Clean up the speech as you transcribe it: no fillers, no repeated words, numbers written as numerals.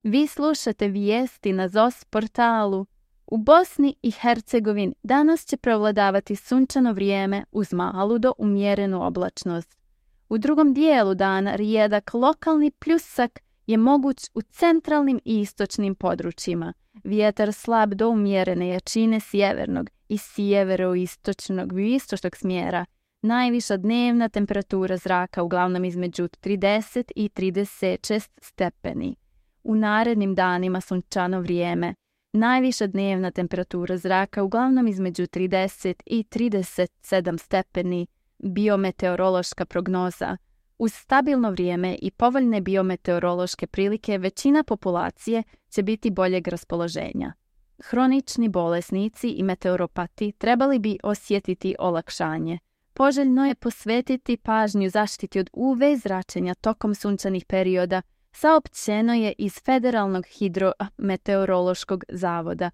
Vi slušate vijesti na ZOS portalu. U Bosni i Hercegovini danas će prevladavati sunčano vrijeme uz malu do umjerenu oblačnost. U drugom dijelu dana rijedak lokalni pljusak je moguć u centralnim i istočnim područjima. Vjetar slab do umjerene jačine sjevernog i sjeveroistočnog smjera. Najviša dnevna temperatura zraka uglavnom između 30 i 36 stepeni. U narednim danima sunčano vrijeme. Najviša dnevna temperatura zraka uglavnom između 30 i 37 stepeni. Biometeorološka prognoza. Uz stabilno vrijeme i povoljne biometeorološke prilike većina populacije će biti boljeg raspoloženja. Hronični bolesnici i meteoropati trebali bi osjetiti olakšanje. Poželjno je posvetiti pažnju zaštiti od UV zračenja tokom sunčanih perioda, saopćeno je iz Federalnog hidrometeorološkog zavoda.